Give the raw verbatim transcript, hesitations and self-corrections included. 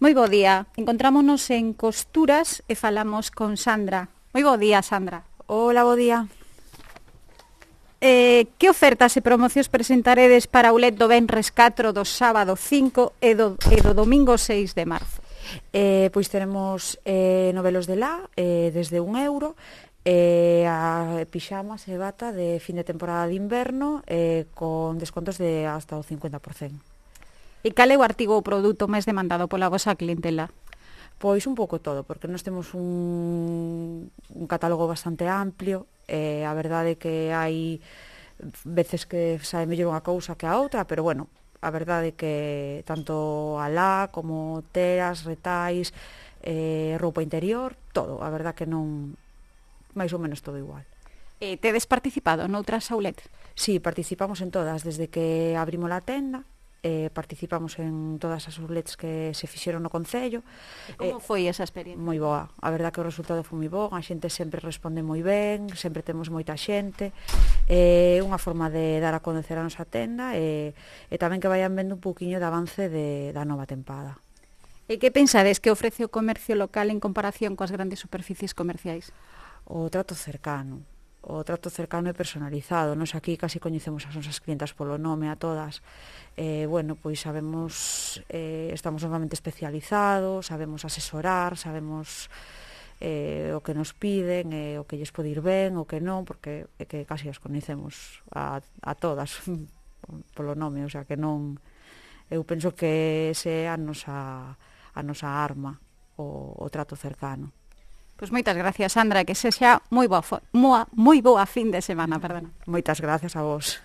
Moi bo día. Encontrámonos en Costuras e falamos con Sandra. Moi bo día, Sandra. Hola, bo día. Eh, que ofertas e promocións presentaredes para o L E D do Venres catro, do sábado cinco e do, e do domingo seis de marzo? Eh, pois tenemos eh, novelos de lá, eh, desde un euro, eh, a pixamas e bata de fin de temporada de inverno, eh, con descontos de hasta o cincuenta por cento. E cal é o artigo ou produto máis demandado pola vosa clientela? Pois un pouco todo, porque nós temos un, un catálogo bastante amplio, e a verdade é que hai veces que sae mellor unha cousa que a outra, pero bueno, a verdade é que tanto alá como teras, retais, eh, roupa interior, todo, a verdade que non, máis ou menos todo igual. E tedes participado noutras outlets? Sí, participamos en todas, desde que abrimos a tenda, eh, participamos en todas as outlets que se fixeron no Concello. Como eh, foi esa experiencia? Moi boa, a verdade que o resultado foi moi bo, a xente sempre responde moi ben, sempre temos moita xente, é eh, unha forma de dar a conocer a nosa tenda e, e tamén que vayan vendo un pouquiño de avance de, da nova tempada. E que pensades que ofrece o comercio local en comparación coas grandes superficies comerciais? O trato cercano. O trato cercano e personalizado. Nos aquí casi coñecemos as nosas clientas polo nome a todas. Eh, bueno, pois sabemos, eh, estamos normalmente especializados, sabemos asesorar, sabemos eh, o que nos piden, eh, o que lles pode ir ben, o que non, porque é que casi as coñecemos a, a todas polo nome, o sea que non, eu penso que ese é a nosa, a nosa arma, o, o trato cercano. Pois moitas gracias, Sandra, que sexa moi boa, moi, moi boa fin de semana, perdona. Moitas gracias a vos.